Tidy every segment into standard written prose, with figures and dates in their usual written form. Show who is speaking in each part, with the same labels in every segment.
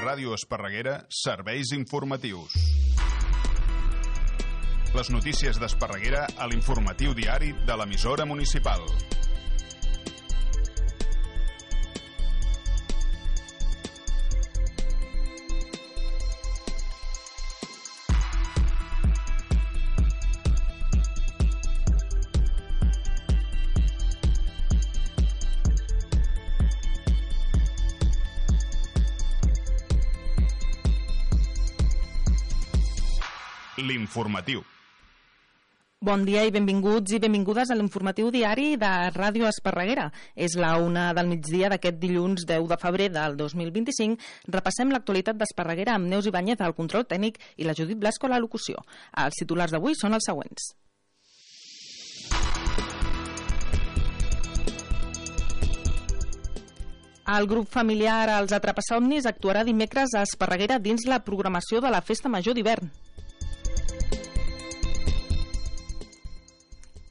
Speaker 1: Ràdio Esparreguera, serveis informatius. Les notícies d'Esparreguera a l'informatiu diari de l'emissora municipal. L'informatiu.
Speaker 2: Bon dia i benvinguts i benvingudes a l'informatiu diari de Ràdio Esparreguera. És la 1 del migdia d'aquest dilluns 10 de febrer del 2025. Repassem l'actualitat d'Esparreguera amb Neus Ibáñez al control tècnic i la Judit Blasco a la locució. Els titulars d'avui són els següents. El grup familiar Els Atrapasomnis actuarà dimecres a Esparreguera dins la programació de la Festa Major d'hivern.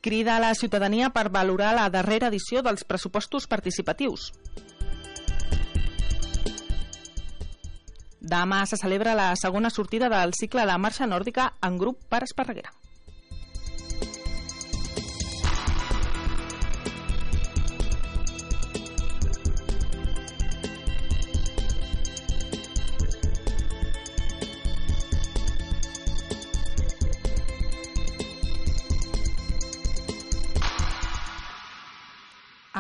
Speaker 2: Crida a la ciutadania per valorar la darrera edició dels pressupostos participatius. Demà se celebra la segona sortida del cicle de marxa nòrdica en grup per Esparreguera.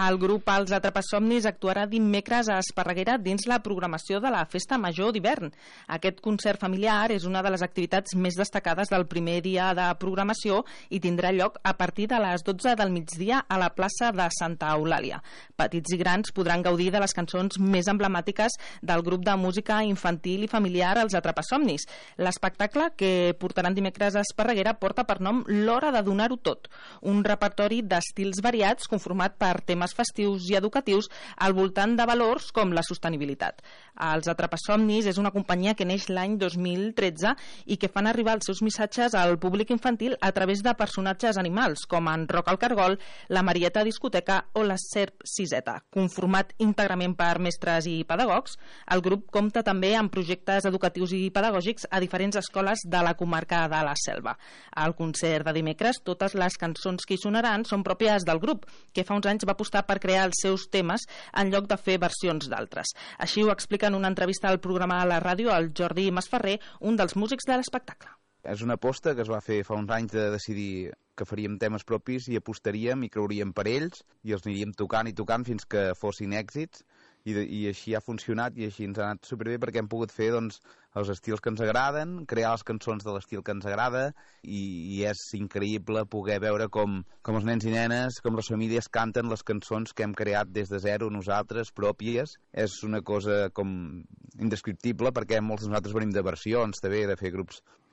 Speaker 2: El grup Els Atrapasomnis actuarà dimecres a Esparreguera dins la programació de la Festa Major d'hivern. Aquest concert familiar és una de les activitats més destacades del primer dia de programació i tindrà lloc a partir de les 12 del migdia a la plaça de Santa Eulàlia. Petits i grans podran gaudir de les cançons més emblemàtiques del grup de música infantil i familiar Els Atrapasomnis. L'espectacle que portaran dimecres a Esparreguera porta per nom L'Hora de Donar-ho Tot, un repertori d'estils variats conformat per temes festius i educatius al voltant de valors com la sostenibilitat. Els Atrapasomnis és una companyia que neix l'any 2013 i que fan arribar els seus missatges al públic infantil a través de personatges animals com en Roc el Cargol, la Marieta Discoteca o la Serp Siseta. Conformat íntegrament per mestres i pedagogs, el grup compta també amb projectes educatius i pedagògics a diferents escoles de la comarca de la Selva. Al concert de dimecres, totes les cançons que hi sonaran són pròpies del grup, que fa uns anys va apostar per crear els seus temes en lloc de fer versions d'altres. Així ho explica en una entrevista al programa a la ràdio el Jordi Masferrer, un dels músics de l'espectacle.
Speaker 3: És una aposta que es va fer fa uns anys de decidir que faríem temes propis i apostaríem i creuríem per ells i els aniríem tocant i tocant fins que fossin èxits i així ha funcionat i així ens ha anat superbé perquè hem pogut fer doncs, els estils que ens agraden, crear les cançons de l'estil que ens agrada i és increïble poder veure com els nens i nenes, com les famílies canten les cançons que hem creat des de zero nosaltres, pròpies. És una cosa com indescriptible perquè molts de nosaltres venim de versions també, de fer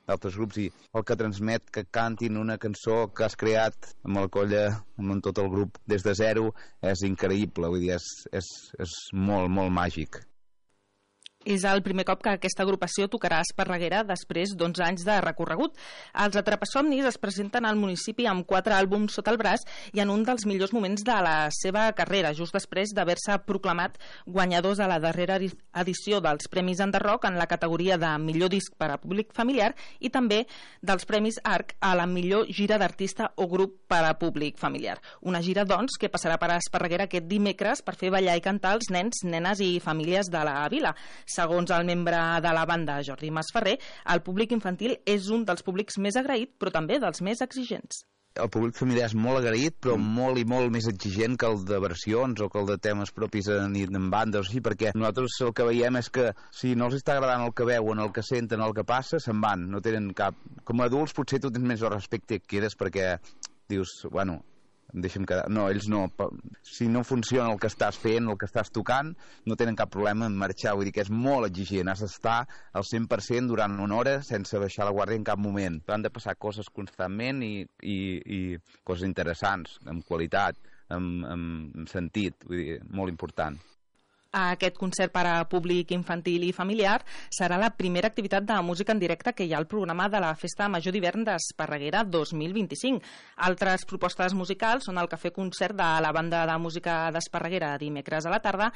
Speaker 3: d'altres grups i el que transmet que cantin una cançó que has creat amb el colla, amb tot el grup des de zero és increïble, vull dir, és molt, molt màgic.
Speaker 2: És el primer cop que aquesta agrupació tocarà a Esparreguera després d'11 anys de recorregut. Els Atrapasomnis es presenten al municipi amb 4 àlbums sota el braç i en un dels millors moments de la seva carrera, just després d'haver-se proclamat guanyadors a la darrera edició dels Premis Enderrock en la categoria de millor disc per a públic familiar i també dels Premis ARC a la millor gira d'artista o grup per a públic familiar. Una gira, doncs, que passarà per a Esparreguera aquest dimecres per fer ballar i cantar els nens, nenes i famílies de la vila. Segons el membre de la banda, Jordi Masferrer, el públic infantil és un dels públics més agraït, però també dels més exigents.
Speaker 3: El públic familiar és molt agraït, però molt i molt més exigent que el de versions o que el de temes propis en bandes, o així, perquè nosaltres el que veiem és que si no els està agradant el que veuen, el que senten, el que passa, se'n van, no tenen cap... Com a adults potser tu tens més el respecte que quedes perquè dius, bueno... deixa'm quedar. No, ells no. Si no funciona el que estàs fent, el que estàs tocant, no tenen cap problema en marxar. Vull dir que és molt exigent. Has d'estar al 100% durant una hora sense baixar la guàrdia en cap moment. Han de passar coses constantment i coses interessants, amb qualitat, amb sentit. Vull dir, molt important.
Speaker 2: Aquest concert per a públic infantil i familiar serà la primera activitat de música en directe que hi ha al programa de la Festa Major d'Hivern d'Esparreguera 2025. Altres propostes musicals són el cafè concert de la banda de música d'Esparreguera dimecres a la tarda,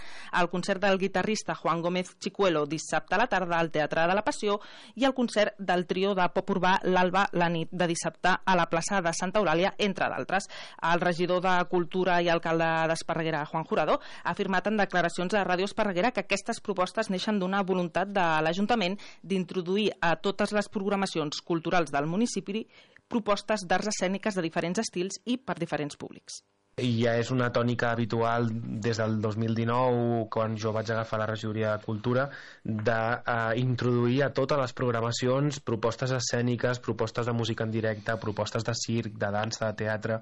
Speaker 2: el concert del guitarrista Juan Gómez Chicuelo dissabte a la tarda al Teatre de la Passió i el concert del trio de pop urbà l'Alba la nit de dissabte a la plaça de Santa Eulàlia, entre d'altres. El regidor de Cultura i alcalde d'Esparreguera, Juan Jurado, ha afirmat en declaracions a Ràdio Esparreguera que aquestes propostes neixen d'una voluntat de l'Ajuntament d'introduir a totes les programacions culturals del municipi propostes d'arts escèniques de diferents estils i per diferents públics.
Speaker 4: I ja és una tònica habitual des del 2019, quan jo vaig agafar la regidoria de Cultura, d'introduir a totes les programacions propostes escèniques, propostes de música en directe, propostes de circ, de dansa, de teatre,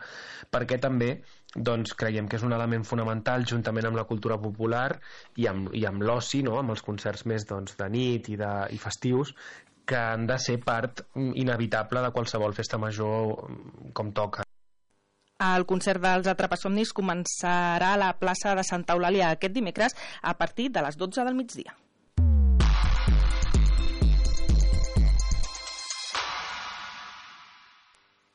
Speaker 4: perquè també creiem que és un element fonamental, juntament amb la cultura popular i amb l'oci, no? Amb els concerts més de nit i festius, que han de ser part inevitable de qualsevol festa major com toca.
Speaker 2: El concert dels Atrapasomnis començarà a la plaça de Santa Eulàlia aquest dimecres a partir de les 12 del migdia.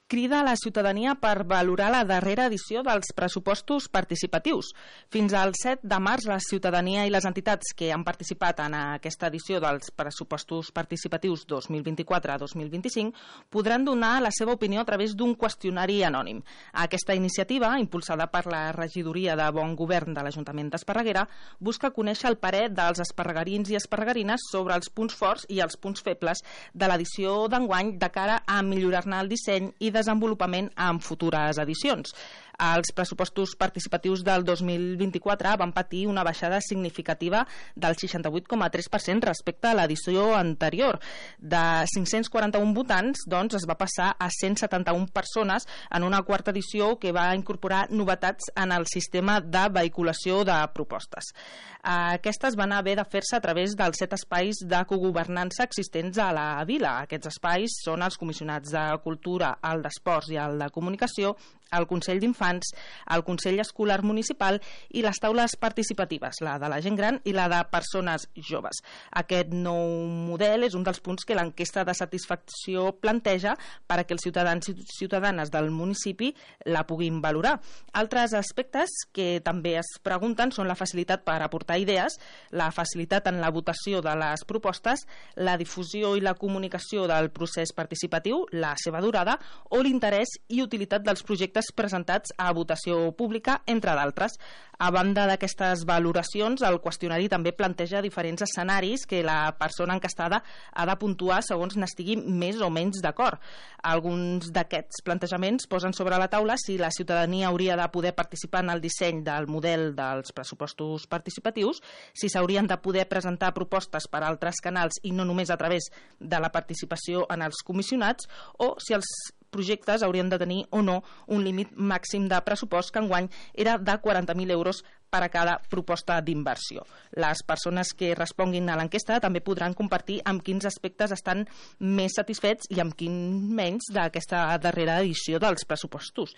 Speaker 2: Crida a la ciutadania per valorar la darrera edició dels pressupostos participatius. Fins al 7 de març, la ciutadania i les entitats que han participat en aquesta edició dels pressupostos participatius 2024-2025 podran donar la seva opinió a través d'un qüestionari anònim. Aquesta iniciativa, impulsada per la Regidoria de Bon Govern de l'Ajuntament d'Esparreguera, busca conèixer el parer dels esparregarins i esparregarines sobre els punts forts i els punts febles de l'edició d'enguany de cara a millorar-ne el disseny i desenvolupament en futures edicions. Els pressupostos participatius del 2024 van patir una baixada significativa del 68,3% respecte a l'edició anterior. De 541 votants, es va passar a 171 persones en una quarta edició que va incorporar novetats en el sistema de vehiculació de propostes. Aquestes van haver de fer-se a través dels 7 espais de cogovernança existents a la vila. Aquests espais són els comissionats de Cultura, el d'Esports i el de Comunicació, el Consell d'Infants, el Consell Escolar Municipal i les taules participatives, la de la gent gran i la de persones joves. Aquest nou model és un dels punts que l'enquesta de satisfacció planteja per a que els ciutadans i ciutadanes del municipi la puguin valorar. Altres aspectes que també es pregunten són la facilitat per aportar idees, la facilitat en la votació de les propostes, la difusió i la comunicació del procés participatiu, la seva durada o l'interès i utilitat dels projectes presentats a votació pública, entre d'altres. A banda d'aquestes valoracions, el qüestionari també planteja diferents escenaris que la persona encastada ha de puntuar segons n'estigui més o menys d'acord. Alguns d'aquests plantejaments posen sobre la taula si la ciutadania hauria de poder participar en el disseny del model dels pressupostos participatius, si s'haurien de poder presentar propostes per altres canals i no només a través de la participació en els comissionats, o si els projectes haurien de tenir o no un límit màxim de pressupost que enguany era de 40.000 euros per a cada proposta d'inversió. Les persones que responguin a l'enquesta també podran compartir amb quins aspectes estan més satisfets i amb quins menys d'aquesta darrera edició dels pressupostos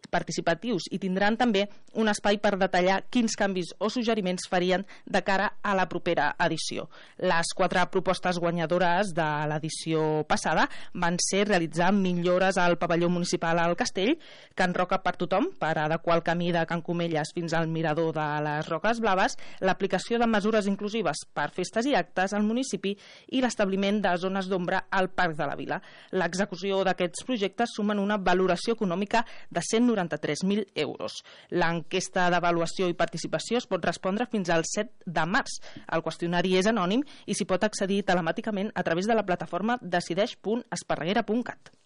Speaker 2: participatius, i tindran també un espai per detallar quins canvis o suggeriments farien de cara a la propera edició. Les 4 propostes guanyadores de l'edició passada van ser realitzar millores al pavelló municipal al Castell, Can Roca per tothom, per adequar el camí de Can Comelles fins al mirador de les Roques Blaves, l'aplicació de mesures inclusives per festes i actes al municipi i l'establiment de zones d'ombra al Parc de la Vila. L'execució d'aquests projectes sumen una valoració econòmica de 193.000 euros. L'enquesta d'avaluació i participació es pot respondre fins al 7 de març. El qüestionari és anònim i s'hi pot accedir telemàticament a través de la plataforma decideix.esparreguera.cat.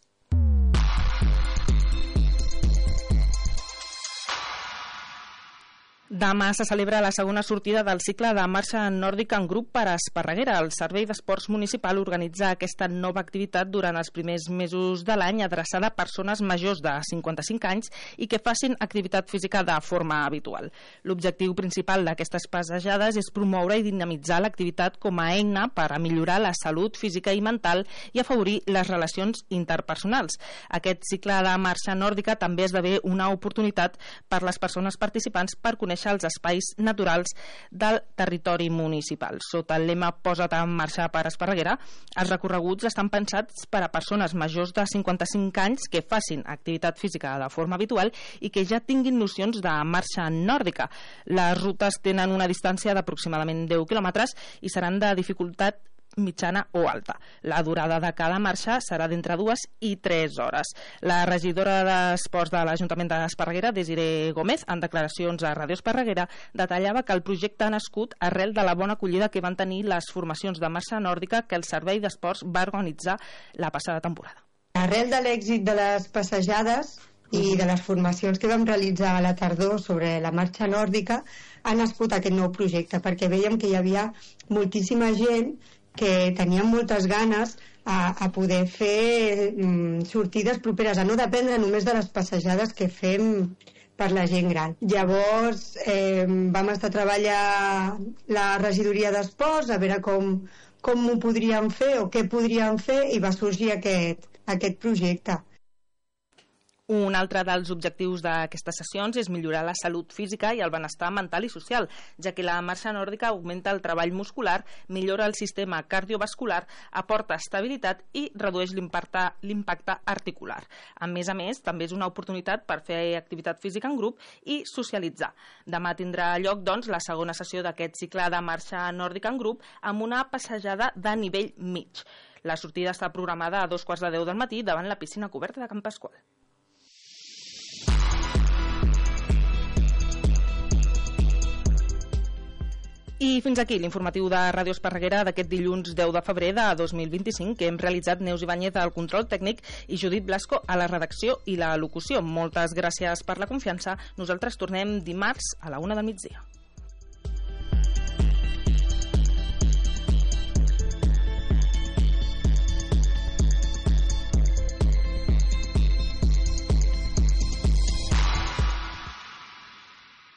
Speaker 2: Demà se celebra la segona sortida del cicle de marxa nòrdica en grup per a Esparreguera. El Servei d'Esports Municipal organitza aquesta nova activitat durant els primers mesos de l'any, adreçada a persones majors de 55 anys i que facin activitat física de forma habitual. L'objectiu principal d'aquestes passejades és promoure i dinamitzar l'activitat com a eina per a millorar la salut física i mental i afavorir les relacions interpersonals. Aquest cicle de marxa nòrdica també esdevé una oportunitat per les persones participants per conèixer conèixer els espais naturals del territori municipal. Sota el lema Posa't en marxa per Esparreguera, els recorreguts estan pensats per a persones majors de 55 anys que facin activitat física de forma habitual i que ja tinguin nocions de marxa nòrdica. Les rutes tenen una distància d'aproximadament 10 quilòmetres i seran de dificultat mitjana o alta. La durada de cada marxa serà d'entre 2 i 3 hores. La regidora d'Esports de l'Ajuntament d'Esparreguera, Desiree Gómez, en declaracions a Ràdio Esparreguera, detallava que el projecte ha nascut arrel de la bona acollida que van tenir les formacions de marxa nòrdica que el Servei d'Esports va organitzar la passada temporada.
Speaker 5: Arrel de l'èxit de les passejades i de les formacions que vam realitzar a la tardor sobre la marxa nòrdica, ha nascut aquest nou projecte, perquè veiem que hi havia moltíssima gent que tenien moltes ganes a poder fer sortides properes, a no dependre només de les passejades que fem per la gent gran. Llavors vam estar a treballar la regidoria d'esports a veure com ho podríem fer o què podríem fer i va sorgir aquest projecte.
Speaker 2: Un altre dels objectius d'aquestes sessions és millorar la salut física i el benestar mental i social, ja que la marxa nòrdica augmenta el treball muscular, millora el sistema cardiovascular, aporta estabilitat i redueix l'impacte articular. A més, també és una oportunitat per fer activitat física en grup i socialitzar. Demà tindrà lloc, doncs, la segona sessió d'aquest cicle de marxa nòrdica en grup amb una passejada de nivell mig. La sortida està programada a 2:15 del matí davant la piscina coberta de Can Pasqual. I fins aquí l'informatiu de Ràdio Esparreguera d'aquest dilluns 10 de febrer de 2025, que hem realitzat Neus Ibáñez al control tècnic i Judit Blasco a la redacció i la locució. Moltes gràcies per la confiança. Nosaltres tornem dimarts a la 1 del migdia.